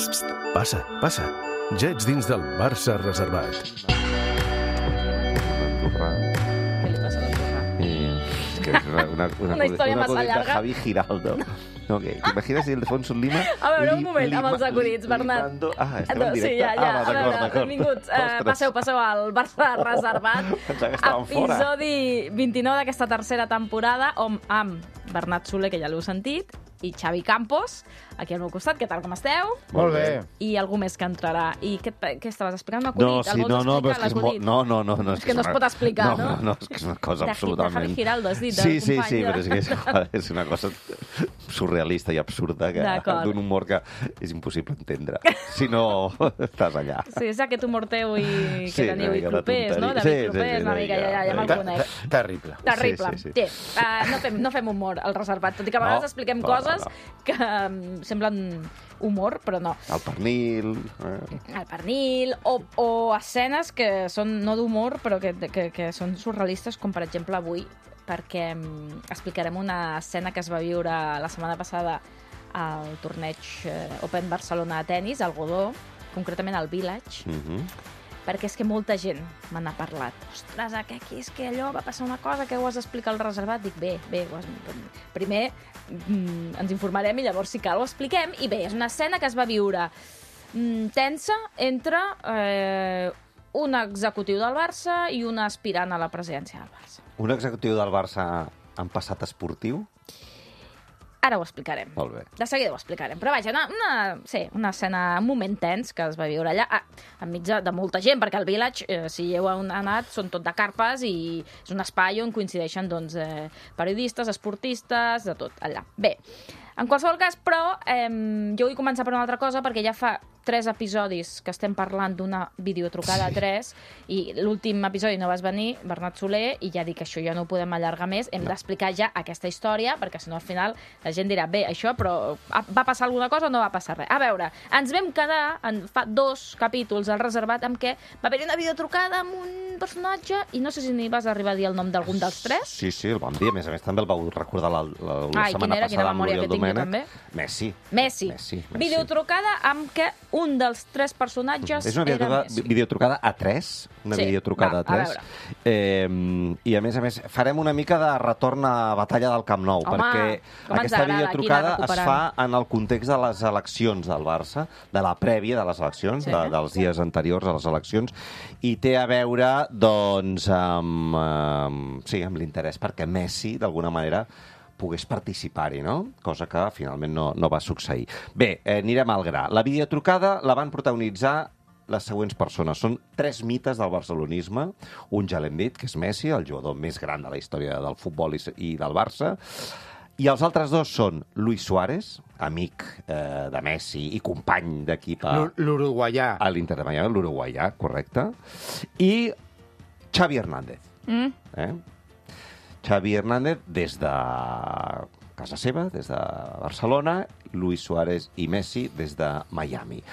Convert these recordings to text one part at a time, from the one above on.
Passa, passa. Ja ets dins del Barça reservat. Què li passa a l'Andorra? És que és Una història massa de llarga. Javi Giraldo. No, ¿te imaginas Ildefonso Lima? A veure, un moment, amb els acudits, Bernat. Estem en directe? Sí, ja. D'acord. Benvinguts. Passeu al Barça reservat. Pensava que estàvem fora. Episodi 29 d'aquesta tercera temporada, amb Bernat Soler, que ja l'heu sentit, i Xavi Campos, aquí al meu costat. Què tal, com esteu? Molt bé. I algú més que entrarà. I què estaves explicant? Un acudit? No, sí, Algú no, t'explica és que és molt... No. És que no es pot explicar, no? No, és que és una cosa De absolutament... Javi Giraldo, has dit, Sí, del company però és una cosa surrealista i absurda, d'un humor que és impossible entendre. Si no, estàs allà. Sí, és aquest humor teu i que Sí, teniu, i una mica de Clopés, no? tonteria. David Clopés, una mica, ja me'l conec. Terrible. Terrible. Sí. No fem humor al reservat, tot i que a vegades expliquem coses que semblen humor, però no. El pernil... El pernil, o escenes que són no d'humor, però que són surrealistes, com per exemple avui, perquè explicarem una escena que es va viure la setmana passada al torneig Open Barcelona de tennis, al Godó, concretament al Village, perquè és que molta gent me n'ha parlat. Ostres, és que allò va passar una cosa que ho has d'explicar al reservat. Dic, bé, primer ens informarem i llavors si cal ho expliquem. I bé, és una escena que es va viure tensa entre un executiu del Barça i un aspirant a la presidència del Barça. Un executiu del Barça en passat esportiu? Ara ho explicarem. Molt bé. De seguida ho explicarem. Però vaja, una escena, un moment tens que es va viure allà, enmig de molta gent, perquè el Village, si hi heu anat, són tot de carpes i és un espai on coincideixen doncs, periodistes, esportistes, de tot allà. Bé, en qualsevol cas, però, jo vull començar per una altra cosa, perquè ja fa 3 episodis que estem parlant d'una videotrucada 3 i l'últim episodi no vas venir, Bernat Soler, i ja dic que això ja no ho podem allargar més, hem d'explicar ja aquesta història, perquè si no al final la gent dirà, bé, això, però va passar alguna cosa o no va passar res? A veure, ens vam quedar fa 2 capítols al reservat amb què va haver-hi una videotrucada amb un personatge i no sé si ni vas arribar a dir el nom d'algun dels 3. Sí, el vam dir, a més també el vau recordar la setmana passada quina amb memòria l'Oriol que tinc jo Domènech. també. Messi. Videotrucada amb què un dels 3 personatges és una videotrucada a 3, videotrucada a 3. I a més farem una mica de retorn a Batalla del Camp Nou, perquè aquesta videotrucada es fa en el context de les eleccions del Barça, de la prèvia de les eleccions, dels dies anteriors a les eleccions, i té a veure doncs amb l'interès perquè Messi, d'alguna manera, pogués participar-hi, no? Cosa que finalment no va succeir. Bé, anirem al gra. La videotrucada la van protagonitzar les següents persones. Són 3 mites del barcelonisme. Un ja l'hem dit, que és Messi, el jugador més gran de la història del futbol i del Barça. I els altres 2 són Luis Suárez, amic de Messi i company d'equip l'uruguaià. A l'Inter de Miami, l'uruguaià, correcte. I Xavi Hernández. Xavi Hernández des de casa seva, des de Barcelona, Luis Suárez i Messi des de Miami.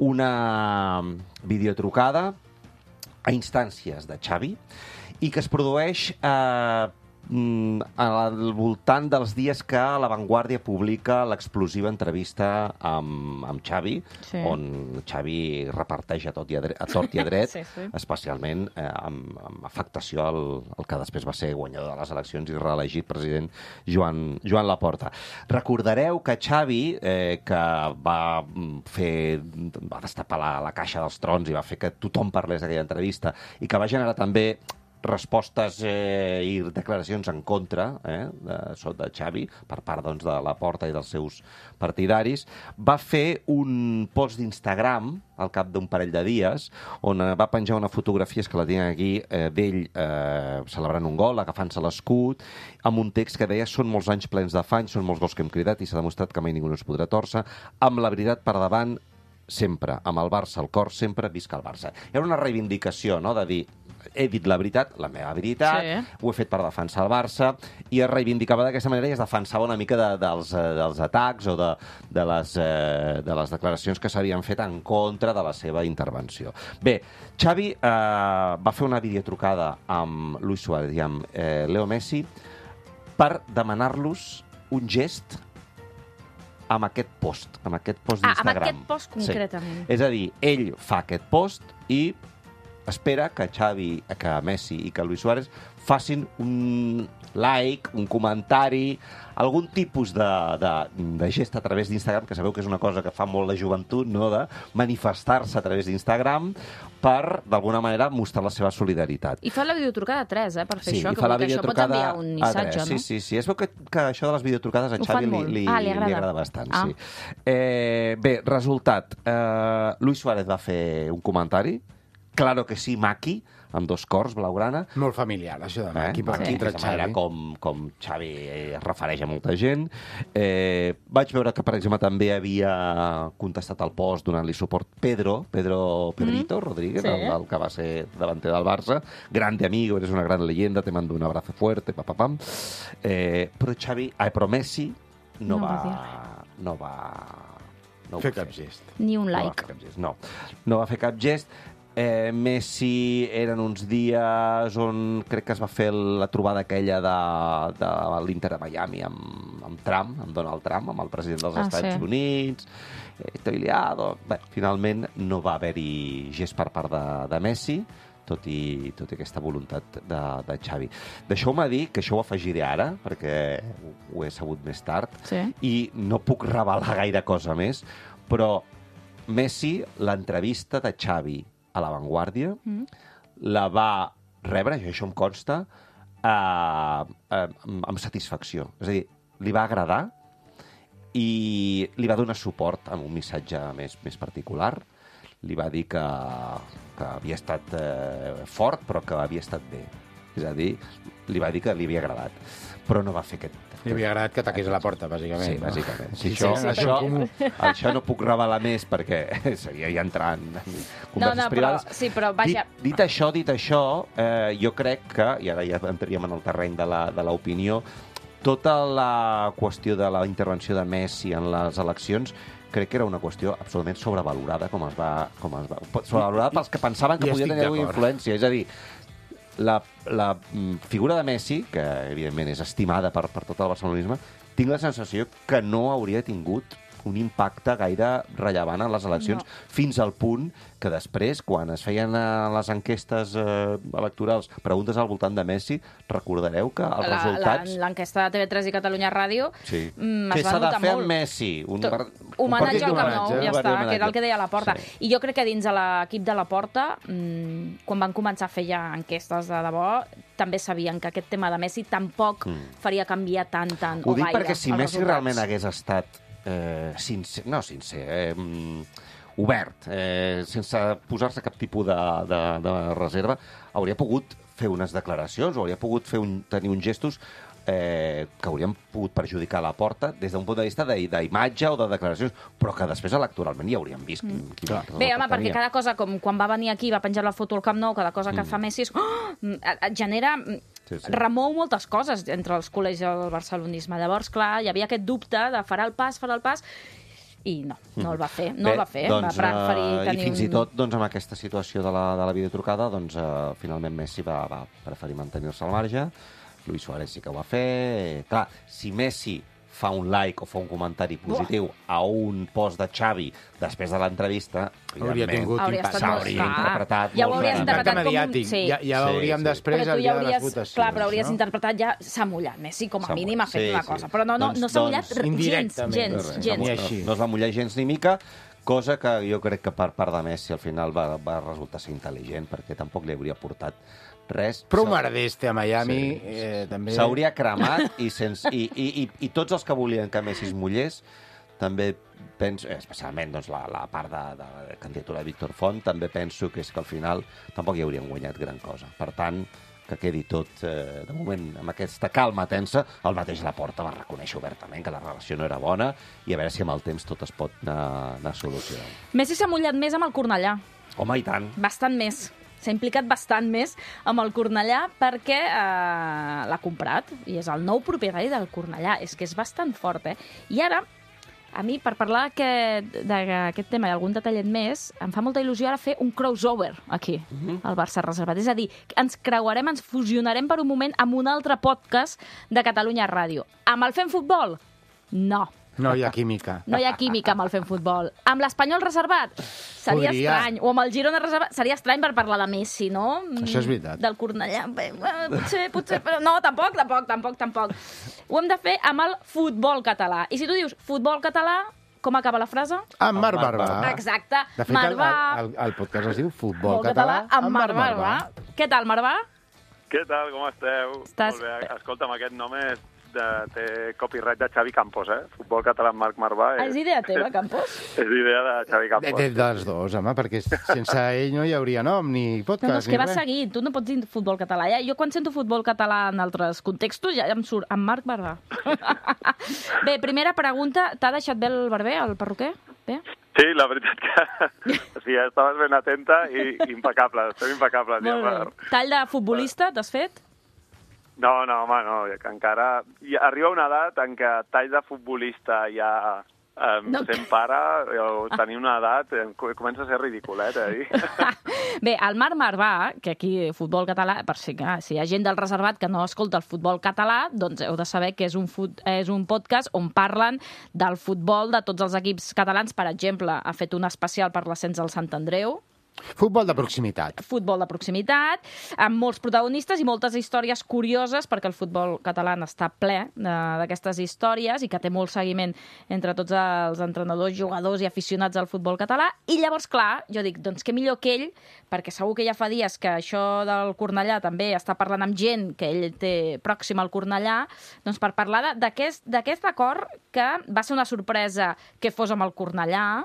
Una videotrucada a instàncies de Xavi i que es produeix al voltant dels dies que La Vanguardia publica l'explosiva entrevista amb Xavi, on Xavi reparteix a tort i a dret, especialment amb afectació al que després va ser guanyador de les eleccions i reelegit president Joan Laporta. Recordareu que Xavi, que va destapar la caixa dels trons i va fer que tothom parlés d'aquella entrevista i que va generar també respostes i declaracions en contra de Xavi per part de Laporta i dels seus partidaris, va fer un post d'Instagram al cap d'un parell de dies on va penjar una fotografia, que la tinc aquí, d'ell celebrant un gol, agafant-se l'escut, amb un text que deia: són molts anys plens d'afany, són molts gols que hem cridat i s'ha demostrat que mai ningú no es podrà tòrcer, amb la veritat per davant sempre, amb el Barça al cor, sempre visca el Barça. Era una reivindicació, no?, de dir, he dit la veritat, la meva veritat, ho he fet per defensar el Barça, i es reivindicava d'aquesta manera i es defensava una mica dels atacs o de les declaracions que s'havien fet en contra de la seva intervenció. Bé, Xavi va fer una videotrucada amb Luis Suárez i amb Leo Messi per demanar-los un gest amb aquest post d'Instagram. Amb aquest post concretament. Sí. És a dir, ell fa aquest post i espera que que Messi i que Luis Suárez facin un like, un comentari, algun tipus de gest a través d'Instagram, que sabeu que és una cosa que fa molt la joventut, no?, de manifestar-se a través d'Instagram per, d'alguna manera, mostrar la seva solidaritat. I fa la videotrucada a 3, per fer això, i fa la que això pot enviar un missatge, no? Sí. Es veu que això de les videotrucades a Xavi li agrada bastant, sí. Bé, resultat. Luis Suárez va fer un comentari, claro que sí, maqui, amb 2 cors, blaugrana. Molt familiar, això de maqui. Maqui, de manera com Xavi es refereix a molta gent. Vaig veure que, per exemple, també havia contestat al post donant-li suport Pedrito Rodríguez, el que va ser davanter del Barça. Grande amigo, eres una gran leyenda, te mando un abrazo fuerte, papapam. Però Messi no va fer cap gest. Ni un like. No va fer cap gest. Messi eren uns dies on crec que es va fer la trobada aquella de l'Inter de Miami amb Trump, amb Donald Trump, amb el president dels Estats Units. Estoy liado. Bé, finalment no va haver-hi gest per part de Messi, tot i aquesta voluntat de Xavi. Deixeu-me dir que això ho afegiré ara, perquè ho he sabut més tard, i no puc revelar gaire cosa més, però Messi, l'entrevista de Xavi a La Vanguardia, la va rebre, això em consta, amb satisfacció. És a dir, li va agradar i li va donar suport amb un missatge més particular. Li va dir que havia estat fort, però que havia estat bé. És a dir, li va dir que li havia agradat. Però no va fer aquest... Li havia agradat que taqués la porta, bàsicament. Sí, bàsicament. Això no puc revelar més perquè seria ja entrar en converses privades. Però vaja... Dit això, jo crec que, i ara ja entraríem en el terreny de l'opinió, tota la qüestió de la intervenció de Messi en les eleccions crec que era una qüestió absolutament sobrevalorada, sobrevalorada pels que pensaven que podia tenir alguna influència. És a dir, la figura de Messi, que evidentment és estimada per tot el barcelonisme, tinc la sensació que no hauria tingut un impacte gaire rellevant en les eleccions, fins al punt que després, quan es feien les enquestes electorals, preguntes al voltant de Messi, recordareu que els resultats... L'enquesta de TV3 i Catalunya Ràdio es va notar molt. Què s'ha de fer amb Messi? Homenatge al Camp Nou, ja està, que era el que deia Laporta. I jo crec que dins de l'equip de Laporta, quan van començar a fer ja enquestes de debò, també sabien que aquest tema de Messi tampoc faria canviar tant Ho dic perquè si Messi realment hagués estat obert, sense posar-se cap tipus de reserva, hauria pogut fer unes declaracions o hauria pogut tenir uns gestos que haurien pogut perjudicar la porta des d'un punt de vista d'imatge o de declaracions, però que després electoralment ja hauríem vist. Bé, home, perquè cada cosa, com quan va venir aquí, va penjar la foto al Camp Nou, cada cosa que fa Messi et genera... remou moltes coses entre els col·legis del barcelonisme. Llavors, clar, hi havia aquest dubte de farà el pas, i no el va fer. Va preferir tenir i fins i tot, amb aquesta situació de la videotrucada, finalment Messi va preferir mantenir-se al marge. Luis Suárez sí que ho va fer. Clar, si Messi fa un like o fa un comentari positiu a un post de Xavi després de l'entrevista, hauria tingut impacte. S'hauria interpretat ja ho hauries interpretat com un... Ja veuríem després el dia de les votacions. Clar, però hauries interpretat ja s'ha mullat. Messi, com a mínim, ha fet una cosa. Però no s'ha mullat gens. No es va mullar gens ni mica, cosa que jo crec que per part de Messi al final va resultar ser intel·ligent, perquè tampoc li hauria portat res. Però un merdeste a Miami també... S'hauria cremat i tots els que volien que Messi es mullés també penso, especialment la part de la candidatura de Víctor Font, també penso que és que al final tampoc hi haurien guanyat gran cosa. Per tant, que quedi tot, de moment, amb aquesta calma tensa. El mateix Laporta va reconèixer obertament que la relació no era bona i a veure si amb el temps tot es pot anar solucionant. Messi s'ha mullat més amb el Cornellà. Home, i tant. Bastant més. S'ha implicat bastant més amb el Cornellà perquè l'ha comprat i és el nou propietari del Cornellà. És que és bastant fort, I ara, a mi, per parlar d'aquest tema i algun detallet més, em fa molta il·lusió ara fer un crossover aquí, al Barça Reservat. És a dir, ens creuarem, ens fusionarem per un moment amb un altre podcast de Catalunya Ràdio. Amb el Fem Futbol? No. No hi ha química. No hi ha química amb el fent futbol. Amb l'Espanyol reservat? Seria estrany. O amb el Girona reservat? Seria estrany per parlar de Messi, no? Això és veritat. Del Cornellà. Potser, però no, tampoc. Ho hem de fer amb el futbol català. I si tu dius futbol català, com acaba la frase? Amb Marc Barbà. Exacte. De fet, el podcast es diu Futbol Català amb Marc Barbà. Què tal, Marc Barbà? Què tal, com esteu? Molt bé. Escolta'm, aquest nom té copyright de Xavi Campos, Futbol Català amb Marc Barbà. És idea teva, Campos? És idea de Xavi Campos. Dels dos, home, perquè sense ell no hi hauria nom, ni podcast, no, és que va seguint. Tu no pots dir futbol català. Jo quan sento futbol català en altres contextos ja em surt amb Marc Barbà. Bé, primera pregunta. T'ha deixat bé el barber, el perruquer? Bé? Sí, la veritat que sí, estaves ben atenta i impecable. Estem impecables. Molt bé. Tall de futbolista, t'has fet? No, home, no. Que encara... Arriba una edat en què tall de futbolista ja... sent pare o tenir una edat comença a ser ridiculet, Bé, el Marc Barbà, que aquí futbol català, per si hi ha gent del reservat que no escolta el futbol català, doncs heu de saber que és un podcast on parlen del futbol de tots els equips catalans. Per exemple, ha fet un especial per l'ascens del Sant Andreu. Futbol de proximitat. Futbol de proximitat, amb molts protagonistes i moltes històries curioses, perquè el futbol català està ple d'aquestes històries i que té molt seguiment entre tots els entrenadors, jugadors i aficionats al futbol català. I llavors, clar, jo dic, doncs què millor que ell, perquè segur que ja fa dies que això del Cornellà també està parlant amb gent que ell té pròxima al Cornellà, doncs per parlar d'aquest acord que va ser una sorpresa que fos amb el Cornellà,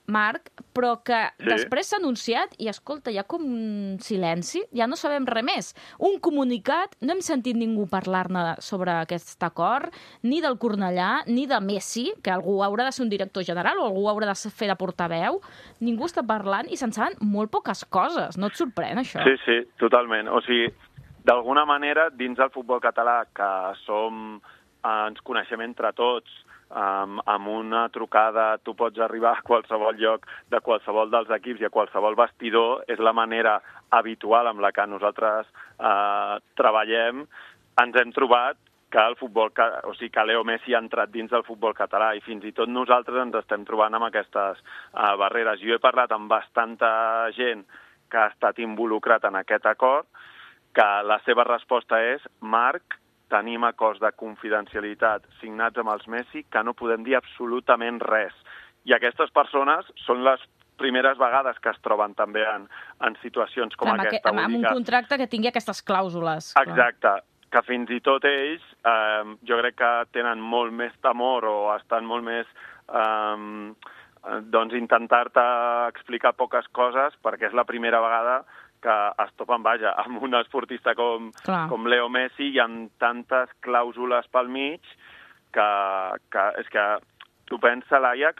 Marc, però que després s'ha anunciat i, escolta, hi ha com un silenci, ja no sabem res més. Un comunicat, no hem sentit ningú parlar-ne sobre aquest acord, ni del Cornellà, ni de Messi, que algú haurà de ser un director general o algú haurà de fer de portaveu. Ningú està parlant i se'n saben molt poques coses. No et sorprèn, això? Sí, totalment. O sigui, d'alguna manera, dins del futbol català, que ens coneixem entre tots, amb una trucada tu pots arribar a qualsevol lloc de qualsevol dels equips i a qualsevol vestidor, és la manera habitual amb la que nosaltres treballem. Ens hem trobat que Leo Messi ha entrat dins del futbol català i fins i tot nosaltres ens estem trobant amb aquestes barreres. Jo he parlat amb bastanta gent que ha estat involucrat en aquest acord, que la seva resposta és: Marc, tenim acords de confidencialitat signats amb els Messi que no podem dir absolutament res. I aquestes persones són les primeres vegades que es troben també en situacions com aquesta. Amb un contracte que tingui aquestes clàusules. Exacte, que fins i tot ells jo crec que tenen molt més temor o estan molt més intentar-te explicar poques coses perquè és la primera vegada que es topen, amb un esportista com Leo Messi i amb tantes clàusules pel mig que és que tu pensa, Laia,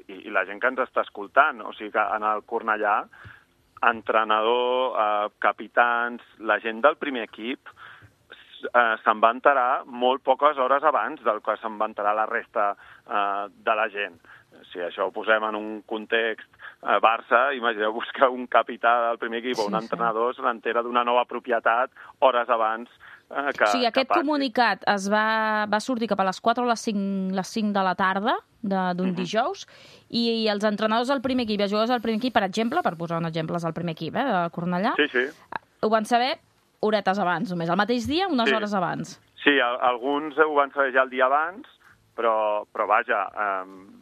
i la gent que ens està escoltant, o sigui que en el Cornellà, entrenador, capitans, la gent del primer equip se'n va enterar molt poques hores abans del que se'n va enterar la resta de la gent. Si això ho posem en un context Barça, imagineu-vos que un capità del primer equip o un entrenador se n'entera d'una nova propietat hores abans que o sigui, aquest comunicat va sortir cap a les 4 o les 5 de la tarda d'un dijous i els entrenadors del primer equip i els jugadors del primer equip, per exemple, per posar un exemple del primer equip, de Cornellà, ho van saber horetes abans, només, el mateix dia, unes hores abans. Sí, alguns ho van saber ja el dia abans, però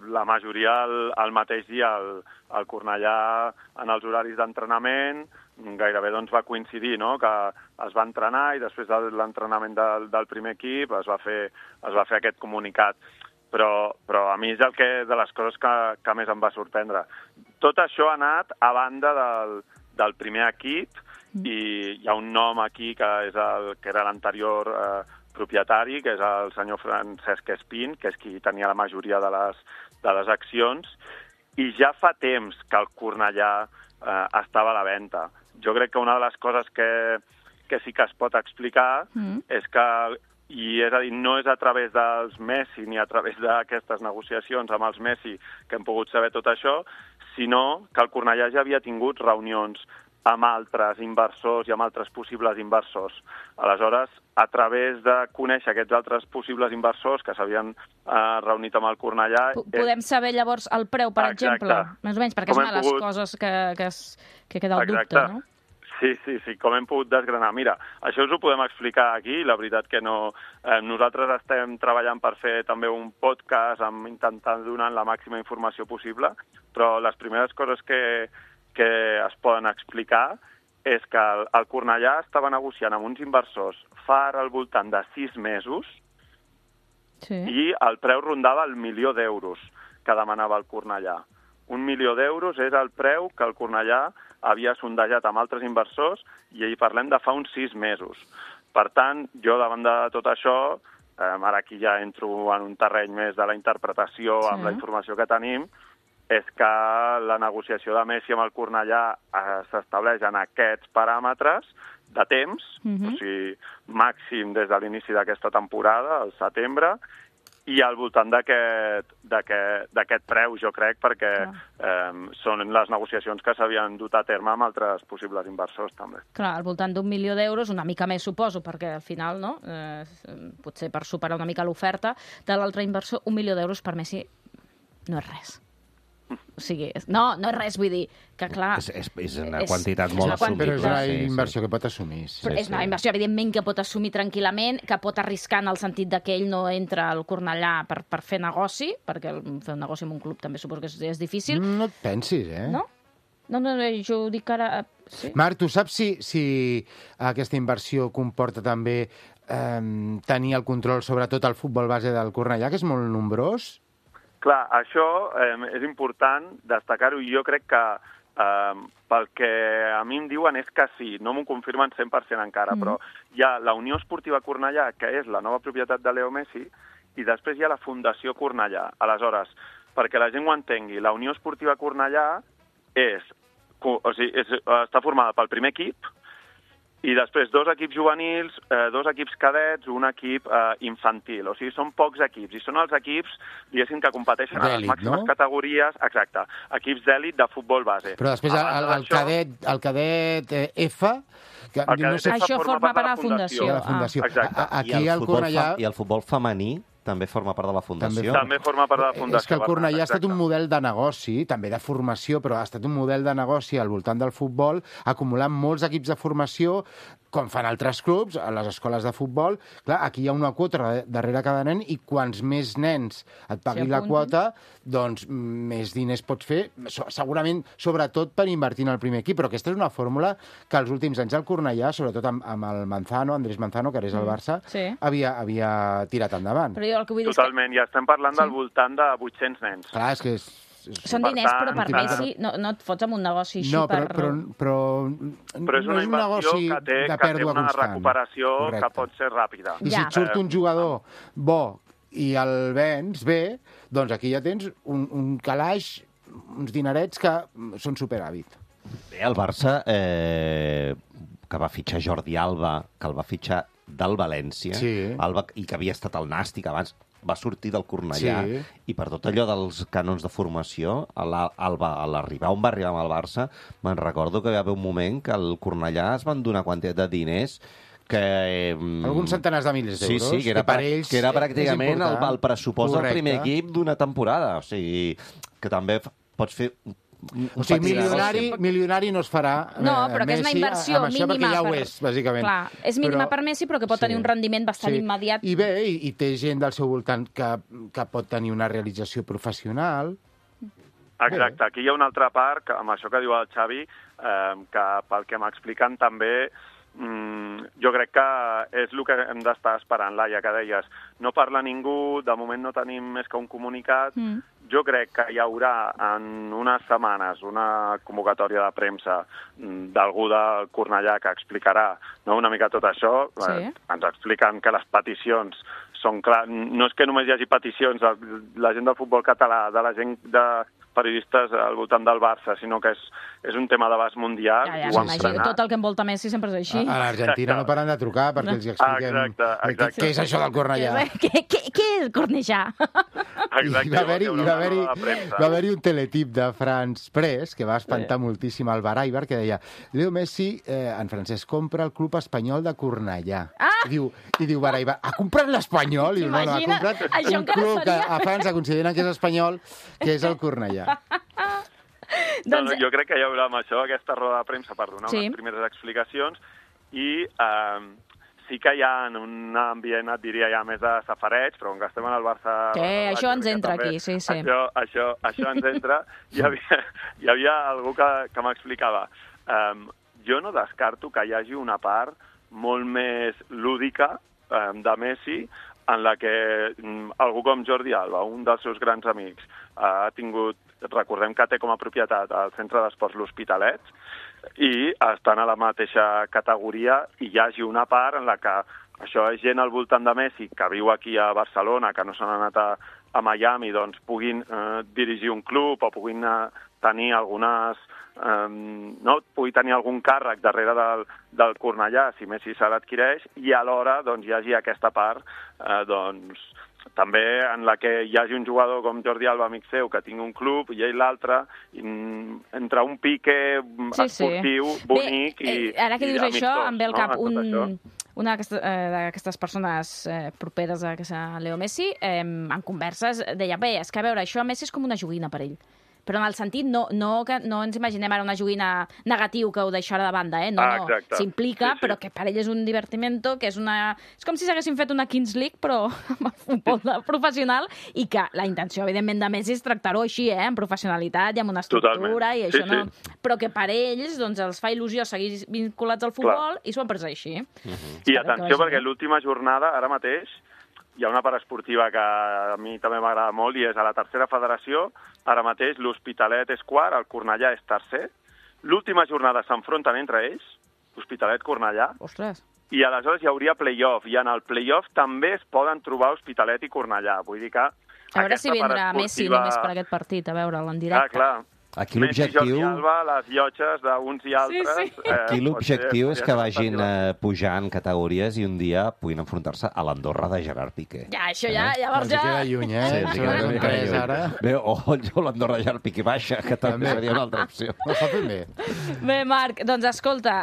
la majoria el mateix dia al Cornellà en els horaris d'entrenament gairebé va coincidir, no?, que es va entrenar i després de l'entrenament del primer equip es va fer aquest comunicat. Però a mi és de les coses que més em va sorprendre. Tot això ha anat a banda del primer equip i hi ha un nom aquí que era l'anterior propietari, que és el senyor Francesc Espín, que és qui tenia la majoria de les accions, i ja fa temps que el Cornellà estava a la venda. Jo crec que una de les coses que sí que es pot explicar és que, i és a dir, no és a través dels Messi ni a través d'aquestes negociacions amb els Messi que hem pogut saber tot això, sinó que el Cornellà ja havia tingut reunions amb altres inversors i amb altres possibles inversors. Aleshores, a través de conèixer aquests altres possibles inversors que s'havien reunit amb el Cornellà... Podem saber llavors el preu, per exemple? Més o menys, perquè és una de les coses que queda el dubte, no? Sí, com hem pogut desgranar. Mira, això us ho podem explicar aquí, la veritat que no... Nosaltres estem treballant per fer també un podcast intentant donar la màxima informació possible, però les primeres coses que es poden explicar és que el Cornellà estava negociant amb uns inversors fa al voltant de 6 mesos i el preu rondava el 1 milió d'euros que demanava el Cornellà. 1 milió d'euros és el preu que el Cornellà havia sondejat amb altres inversors i hi parlem de fa uns 6 mesos. Per tant, jo davant de tot això, ara aquí ja entro en un terreny més de la interpretació amb la informació que tenim, és que la negociació de Messi amb el Cornellà s'estableix en aquests paràmetres de temps, o sigui, màxim des de l'inici d'aquesta temporada, al setembre, i al voltant d'aquest preu, jo crec, perquè són les negociacions que s'havien dut a terme amb altres possibles inversors, també. Clar, al voltant d'1 milió d'euros, una mica més, suposo, perquè al final, no? Potser per superar una mica l'oferta de l'altre inversor, 1 milió d'euros per Messi no és res. O sigui, no és res, vull dir que, clar... És una quantitat molt assumida. Però és una inversió que pot assumir. És una inversió, evidentment, que pot assumir tranquil·lament, que pot arriscar en el sentit que ell no entra al Cornellà per fer negoci, perquè fer un negoci en un club també suposo que és difícil. No et pensis, No? No, jo ho dic ara... Sí. Marc, tu saps si aquesta inversió comporta també tenir el control sobre tot el futbol base del Cornellà, que és molt nombrós? Clar, això és important destacar-ho i jo crec que pel que a mi em diuen és que sí, no m'ho confirmen 100% encara, però hi ha la Unió Esportiva Cornellà, que és la nova propietat de Leo Messi, i després hi ha la Fundació Cornellà. Aleshores, perquè la gent ho entengui, la Unió Esportiva Cornellà està formada pel primer equip, i després 2 equips juvenils, 2 equips cadets, un equip infantil. O sigui, són pocs equips. I són els equips, diguéssim, que competeixen a les màximes categories, exacte, equips d'èlit de futbol base. Però després el cadet F... Això forma part de la Fundació. Aquí al Cornellà... I el futbol femení també forma part de la Fundació. També forma part de la Fundació. És que el Cornellà ha estat un model de negoci, també de formació, però ha estat un model de negoci al voltant del futbol, acumulant molts equips de formació, com fan altres clubs, a les escoles de futbol. Clar, aquí hi ha una quota darrere cada nen i quants més nens et paguin la quota, doncs més diners pots fer, segurament, sobretot per invertir en el primer equip. Però aquesta és una fórmula que els últims anys el Cornellà, sobretot amb el Manzano, Andrés Manzano, que ara és el Barça, havia tirat endavant. Però jo el que vull dir totalment, ja estem parlant del voltant de 800 nens. Clar, és que són diners, però per Messi no et fots amb un negoci així però és una inversió que té una recuperació que pot ser ràpida. I si et surt un jugador bo i el vens bé, doncs aquí ja tens un calaix, uns dinerets que són superàvit. Bé, el Barça, que va fitxar Jordi Alba, que el va fitxar del València, Alba, i que havia estat al Nàstic abans, va sortir del Cornellà, i per tot allò dels cànons de formació, a l'arribar on va arribar amb el Barça, me'n recordo que hi va haver un moment que al Cornellà es van donar quantitat de diners que... Alguns centenars de milers d'euros. Sí, que era pràcticament el pressupost del primer equip d'una temporada. O sigui, que també pots fer... O sigui, milionari no es farà però que és una inversió mínima. Perquè ja ho és, bàsicament. Clar, és mínima per Messi, però que pot tenir un rendiment bastant immediat. I bé, i té gent del seu voltant que pot tenir una realització professional. Exacte, aquí hi ha una altra part, amb això que diu el Xavi, que pel que m'expliquen també, jo crec que és el que hem d'estar esperant, Laia, que deies. No parla ningú, de moment no tenim més que un comunicat. Jo crec que hi haurà en unes setmanes una convocatòria de premsa d'algú del Cornellà que explicarà una mica tot això. Ens expliquen que les peticions són clares. No és que només hi hagi peticions de la gent del futbol català, de la gent de periodistes al voltant del Barça, sinó que és un tema d'abast mundial. Tot el que envolta Messi sempre és així. A l'Argentina no paren de trucar perquè els expliquem què és això del Cornellà. Què és el Cornellà? I va haver-hi un teletip de Franç Press que va espantar moltíssim el Baraibar, que deia Leo Messi, en francès, compra el club espanyol de Cornellà. I diu Baraibar, ha comprat l'Espanyol? I diu, no, ha comprat un club que a França consideren que és espanyol, que és el Cornellà. Jo crec que hi haurà amb això aquesta roda de premsa per donar unes primeres explicacions i sí que hi ha un ambient, et diria, ja més de safareig, però com que estem en el Barça... Això ens entra aquí, sí. Això ens entra. Hi havia algú que m'explicava. Jo no descarto que hi hagi una part molt més lúdica de Messi en la que algú com Jordi Alba, un dels seus grans amics, ha tingut, recordem que té com a propietat el Centre d'Esports L'Hospitalet, i estan a la mateixa categoria i hi hagi una part en la que això és gent al voltant de Messi que viu aquí a Barcelona, que no s'han anat a Miami, doncs puguin dirigir un club o puguin tenir algunes... pugui tenir algun càrrec darrere del Cornellà si Messi se l'adquireix i alhora doncs, hi hagi aquesta part també en la que hi hagi un jugador com Jordi Alba, amic seu, que tingui un club i ell l'altre, entre un pique esportiu bonic i ara que dius amistós, això, em ve al cap una d'aquestes persones properes a Leo Messi, en converses, deia, bé, és que a veure, això a Messi és com una joguina per ell. Però en el sentit, no ens imaginem ara una joguina negatiu que ho deixarà de banda, No, s'implica, però que per ell és un divertimento, que és com si s'haguessin fet una Kings League, però amb el futbol professional, i que la intenció, evidentment, de Messi és tractar-ho així, amb professionalitat i amb una estructura, i això no... Però que per ells, doncs, els fa il·lusió seguir vinculats al futbol, i s'ho han pres així. I atenció, perquè l'última jornada, ara mateix, hi ha una part esportiva que a mi també m'agrada molt i és a la tercera federació. Ara mateix l'Hospitalet és quart, el Cornellà és tercer. L'última jornada s'enfronten entre ells, Hospitalet-Cornellà. Ostres. I aleshores hi hauria play-off. I en el play-off també es poden trobar Hospitalet i Cornellà. Vull dir que... A veure si vindrà Messi només per aquest partit, a veure'l en directe. Clar. Aquí l'objectiu... Messi, Jordi Alba, les llotges d'uns i altres... Sí. Aquí l'objectiu és que vagin pujant categories i un dia puguin enfrontar-se a l'Andorra de Gerard Piqué. Ja, això llavors ja... Ens queda lluny, Sí, o l'Andorra de Gerard Piqué baixa, que també seria una altra opció. No fa bé. Bé, Marc, doncs escolta,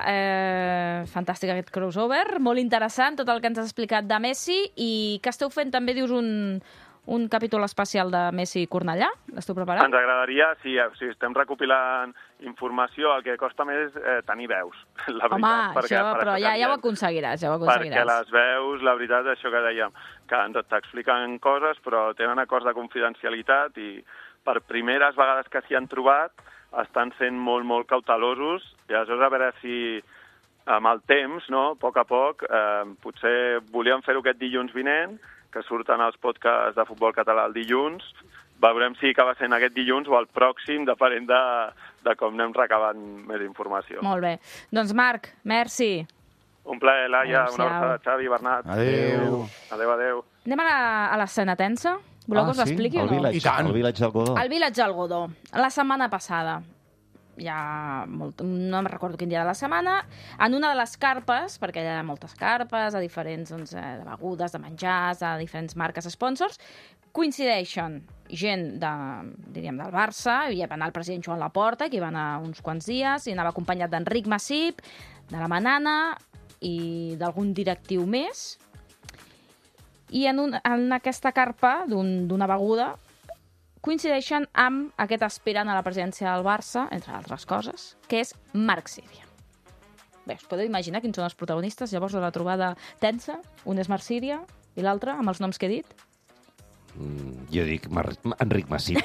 fantàstic aquest crossover, molt interessant tot el que ens has explicat de Messi, i que esteu fent també, dius, un capítol especial de Messi i Cornellà? L'esteu preparant? Ens agradaria, si estem recopilant informació, el que costa més és tenir veus, la veritat. Home, però ja ho aconseguiràs, Perquè les veus, la veritat, això que dèiem, que t'expliquen coses, però tenen acords de confidencialitat i per primeres vegades que s'hi han trobat estan sent molt, molt cautelosos, i aleshores a veure si amb el temps, a poc, potser volíem fer-ho aquest dilluns vinent, que surten els podcasts de futbol català el dilluns. Veurem si acaba sent aquest dilluns o el pròxim, depenent de com anem recabant més informació. Molt bé. Doncs Marc, merci. Un plaer, Laia. Una abraçada, Xavi, Bernat. Adéu. Adéu. Anem a l'escena tensa? Voleu que us l'expliqui o no? El Village del Godó. El Village del Godó. La setmana passada, no em recordo quin dia de la setmana, en una de les carpes, perquè hi ha moltes carpes, a diferents de begudes, de menjars, de diferents marques sponsors, coincideixen gent del Barça, hi va anar el president Joan Laporta, que hi va anar uns quants dies, i anava acompanyat d'Enric Massip, de la Manana i d'algun directiu més, i en aquesta carpa d'una beguda coincideixen amb aquest aspirant a la presidència del Barça, entre altres coses, que és Marc Síria. Bé, us podeu imaginar quins són els protagonistes llavors de la trobada tensa? Un és Marc Síria i l'altre, amb els noms que he dit? Jo dic Enric Massip.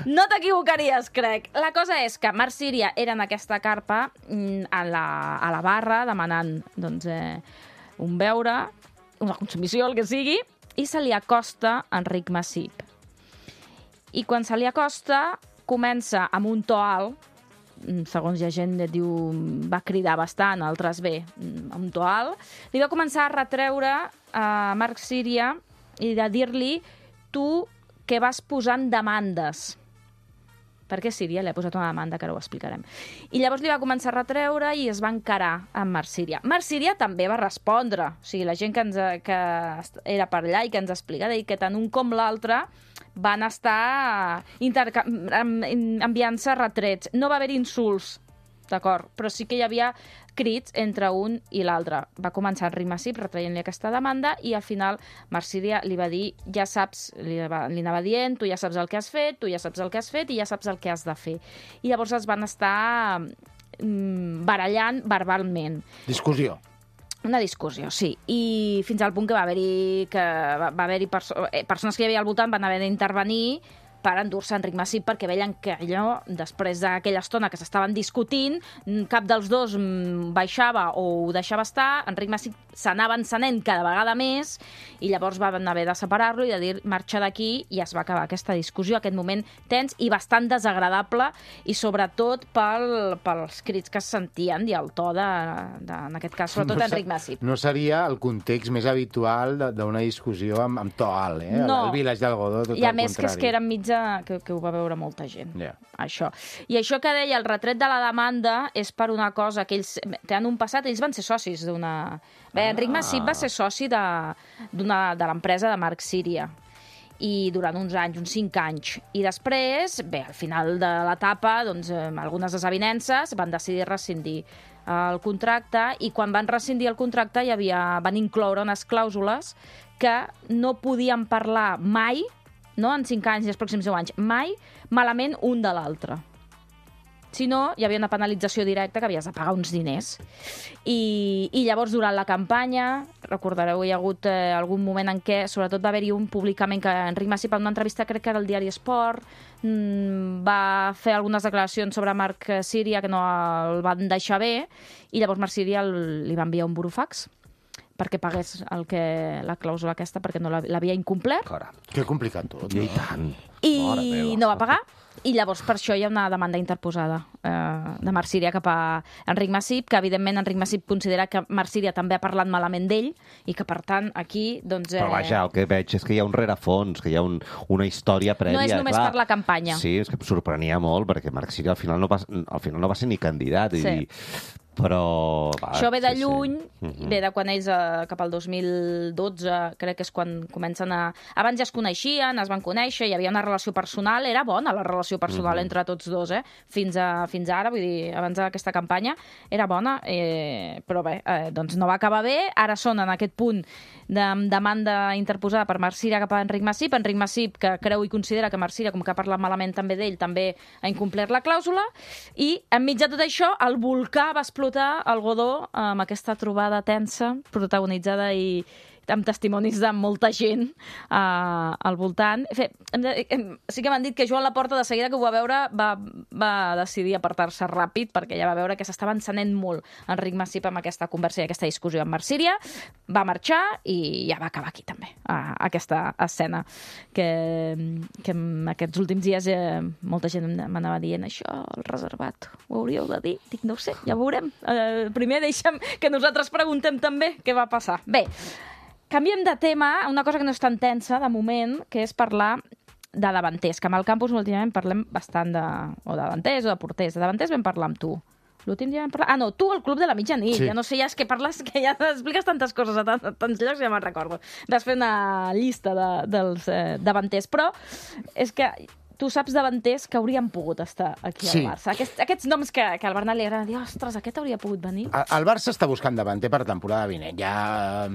No t'equivocaries, crec. La cosa és que Marc Síria era en aquesta carpa a la barra demanant un beure, una consumició, el que sigui, i se li acosta Enric Massip. I quan se li acosta, comença amb un to alt, segons hi ha gent que diu va cridar bastant, altres bé, amb un to alt, li va començar a retreure a Marc Síria i de dir-li tu que vas posant demandes. perquè Síria li ha posat una demanda, que ara ho explicarem. I llavors li va començar a retreure i es va encarar amb Marc Síria. Marc Síria també va respondre. O sigui, la gent que era per allà i que ens explica que tant un com l'altre van estar enviant-se retrets. No va haver insults, d'acord, però sí que hi havia crits entre un i l'altre. Va començar Enric Massip retraient-li aquesta demanda i al final Marc Síria li va dir, ja saps, li anava dient, tu ja saps el que has fet, tu ja saps el que has fet i ja saps el que has de fer. I llavors es van estar barallant verbalment. Discussió. Una discussió, sí. I fins al punt que va haver-hi persones que hi havia al voltant van haver d'intervenir per endur-se Enric Massip perquè veien que allò, després d'aquella estona que s'estaven discutint, cap dels dos baixava o ho deixava estar, Enric Massip s'anava encenent cada vegada més i llavors van haver de separar-lo i de dir marxa d'aquí i es va acabar aquesta discussió, aquest moment tens i bastant desagradable i sobretot pels crits que es sentien i el to en aquest cas, sobretot Enric Massip. No seria el context més habitual d'una discussió amb to alt, No. El Village del Godó, tot el contrari. I a més que és que era enmig que ho va veure molta gent. Yeah. Això. I això que deia, el retret de la demanda és per una cosa que ells tenen un passat, ells van ser socis d'una... Bé, Enric Massip va ser soci de l'empresa de Marc Síria i durant uns anys, uns 5 anys. I després, bé, al final de l'etapa, doncs, algunes desavinences van decidir rescindir el contracte i quan van rescindir el contracte van incloure unes clàusules que no podien parlar mai, no en 5 anys i els pròxims 10 anys, mai malament un de l'altre. Si no, hi havia una penalització directa que havies de pagar uns diners. I llavors, durant la campanya, recordareu, hi ha hagut algun moment en què, sobretot va haver-hi un públicament que Enric Massip, en una entrevista, crec que era el diari Esport, va fer algunes declaracions sobre Marc Síria que no el van deixar bé, i llavors Marc Síria li va enviar un burofax perquè pagués la clàusula aquesta, perquè no l'havia incomplert. Que complicat tot. I tant. I no va pagar. I llavors per això hi ha una demanda interposada de Marc Síria cap a Enric Massip, que evidentment Enric Massip considera que Marc Síria també ha parlat malament d'ell i que per tant aquí... doncs, Però vaja, el que veig és que hi ha un rerefons, que hi ha una història prèvia. No és només per la campanya. Sí, és que em sorprenia molt, perquè Marc Síria al final no va ser ni candidat. Sí. Però... Això ve de lluny, ve de quan ells, cap al 2012, crec que és quan comencen a... Abans ja es coneixien, es van conèixer, hi havia una relació personal, era bona la relació personal entre tots dos, fins ara, vull dir, abans d'aquesta campanya, era bona, però bé, doncs no va acabar bé, ara són en aquest punt de demanda interposada per Marc Síria cap a Enric Massip, que creu i considera que Marc Síria, com que ha parlat malament també d'ell, també ha incomplert la clàusula, i enmig de tot això, el volcà va explotar al Godó amb aquesta trobada tensa, protagonitzada i amb testimonis de molta gent al voltant. Sí que m'han dit que Joan Laporta, de seguida que ho va veure, va decidir apartar-se ràpid, perquè ja va veure que s'estava encenent molt Enric Massip amb aquesta conversa i aquesta discussió amb Marc Síria, va marxar i ja va acabar aquí també, aquesta escena que en aquests últims dies molta gent m'anava dient això, el reservat, ho hauríeu de dir? Dic, no ho sé, ja ho veurem. Primer deixa'm que nosaltres preguntem també què va passar. Bé, canviem de tema, una cosa que no és tan tensa, de moment, que és parlar de davanters, que amb el campus últimament parlem bastant de davanters o de porters. De davanters vam parlar amb tu. L'últim dia vam parlar... Ah, no, tu al Club de la Mitjanit. Sí. Ja no sé, ja és que parles, que ja expliques tantes coses a tants llocs, ja me'n recordo. Vas fer una llista dels davanters, però és que tu saps davanters que haurien pogut estar aquí al Barça. Aquests noms que al Bernat li agrada dir, ostres, aquest hauria pogut venir. El Barça està buscant davanter per temporada vinent. Hi ha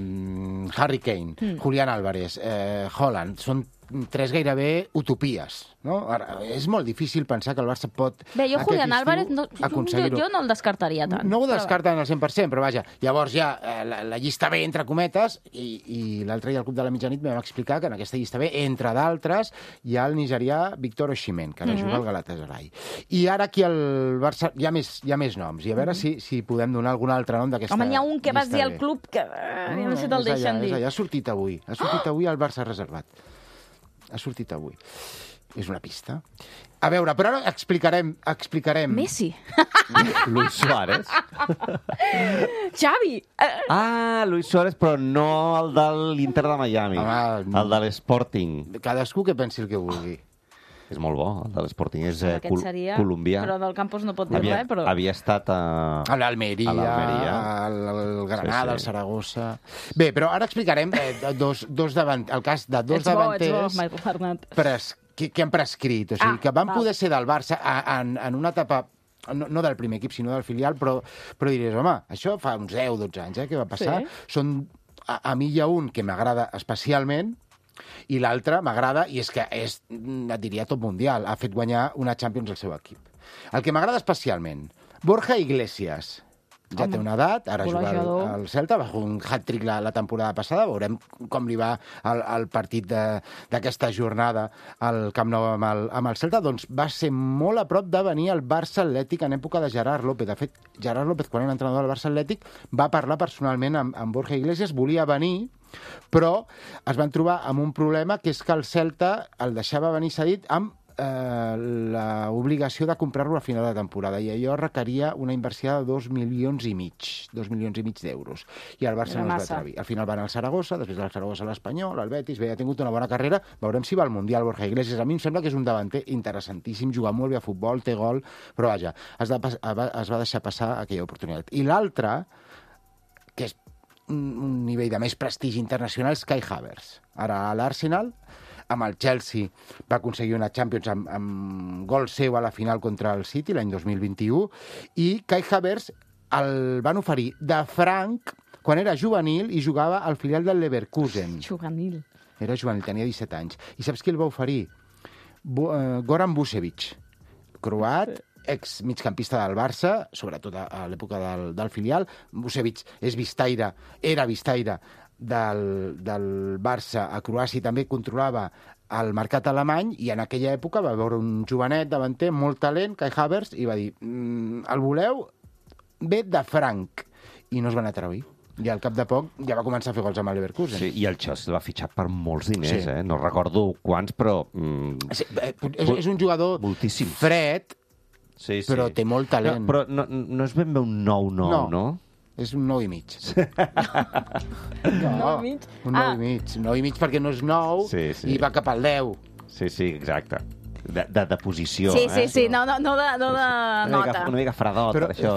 Harry Kane, Julián Álvarez, Haaland, són 3 gairebé utopies, no? Ara, és molt difícil pensar que el Barça pot... Bé, jo Julián Álvarez jo no el descartaria tant. No ho descarten al 100%, però vaja, llavors hi ha la llista B, entre cometes, i l'altre dia al Club de la Mitjanit vam explicar que en aquesta llista B, entre d'altres, hi ha el nigerià Víctor Osimhen, que ara juga al Galatasaray. I ara aquí al Barça hi ha més noms, i a veure si podem donar algun altre nom d'aquesta llista B. Home, n'hi ha un que vas dir al club que no sé si te'l deixen dir. Ha sortit avui al Barça reservat. Ha sortit avui. És una pista. A veure, però ara explicarem... Messi. Luis Suárez. Xavi. Luis Suárez, però no el de l'Inter de Miami. El de l'Sporting. Cadascú que pensi el que vulgui. és molt bo. El de l'Sporting és colombià. Però del Campos no pot dir res. Però... Havia estat a l'Almeria, al Granada, al Saragossa... Bé, però ara explicarem el cas de dos davanters que han prescrit. O sigui, que van poder ser del Barça en una etapa... No del primer equip, sinó del filial, però diries, home, això fa uns 10-12 anys, què va passar? Sí. A mi hi ha un que m'agrada especialment, i l'altre m'agrada, i és que és, et diria, top mundial. Ha fet guanyar una Champions al seu equip. El que m'agrada especialment, Borja Iglesias. Ja té una edat, ara juga al Celta, va fer un hat-trick la temporada passada, veurem com li va el partit d'aquesta jornada al Camp Nou amb el Celta, doncs va ser molt a prop de venir al Barça Atlètic en època de Gerard López. De fet, Gerard López, quan era entrenador del Barça Atlètic, va parlar personalment amb Borja Iglesias, volia venir, però es van trobar amb un problema, que és que el Celta el deixava venir cedit amb l'obligació de comprar-lo a final de temporada, i allò requeria una inversió de 2,5 milions d'euros. I el Barça no es va atrevir. Al final va anar al Saragossa, després del Saragossa a l'Espanyol, al Betis, ha tingut una bona carrera, veurem si va al Mundial Borja Iglesias. A mi em sembla que és un davanter interessantíssim, juga molt bé a futbol, té gol, però vaja, es va deixar passar aquella oportunitat. I l'altre, que és un nivell de més prestigi internacional, és Kai Havertz. Ara a l'Arsenal, amb el Chelsea va aconseguir una Champions amb gol seu a la final contra el City l'any 2021, i Kai Havertz el van oferir de franc quan era juvenil i jugava al filial del Leverkusen. Juvenil. Era juvenil, tenia 17 anys. I saps qui el va oferir? Goran Vucevic, croat, ex-migcampista del Barça, sobretot a l'època del filial. Vucevic era vistaire del Barça a Croàcia, i també controlava el mercat alemany, i en aquella època va veure un jovenet davanter, molt talent, Kai Havertz, i va dir, el voleu? Ve de franc. I no es van atrevir. I al cap de poc ja va començar a fer gols amb el Leverkusen. Sí, i el Chelsea el va fitxar per molts diners, sí. No recordo quants, però... Sí, és un jugador moltíssim fred, sí. Però té molt talent. No, però no és ben bé un 9-9, no? És un 9,5. No, un 9,5. 9,5 perquè no és 9 i va cap al 10. Sí, exacte. De posició. Sí, no de nota. Una mica fredot, per això.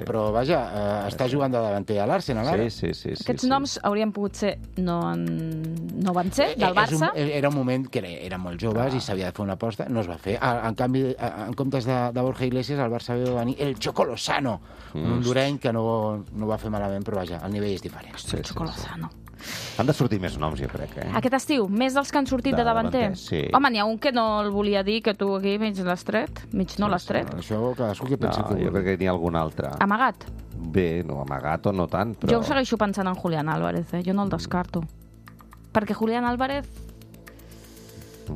Però vaja, està jugant de davanter a l'Arsenal, ara. Sí. Aquests noms haurien pogut ser... No van ser, del Barça? Era un moment que eren molt joves i s'havia de fer una aposta, no es va fer. En canvi, en comptes de Borja Iglesias, el Barça va venir el Choco Lozano, un hondureny que no va fer malament, però vaja, el nivell és diferent. El Choco Lozano. Han de sortir més noms, jo crec. Aquest estiu, més dels que han sortit de davanter? Sí. Home, n'hi ha un que no el volia dir, que tu aquí mig l'estret, mig no l'estret. Això cadascú que pensi que... Jo crec que n'hi ha algun altre. Amagat? Bé, no amagat o no tant, però... Jo segueixo pensant en Julián Álvarez, jo no el descarto. Perquè Julián Álvarez...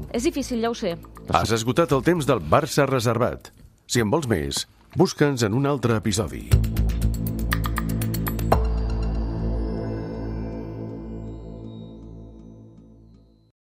És difícil, ja ho sé. Has esgotat el temps del Barça reservat. Si en vols més, busca'ns en un altre episodi.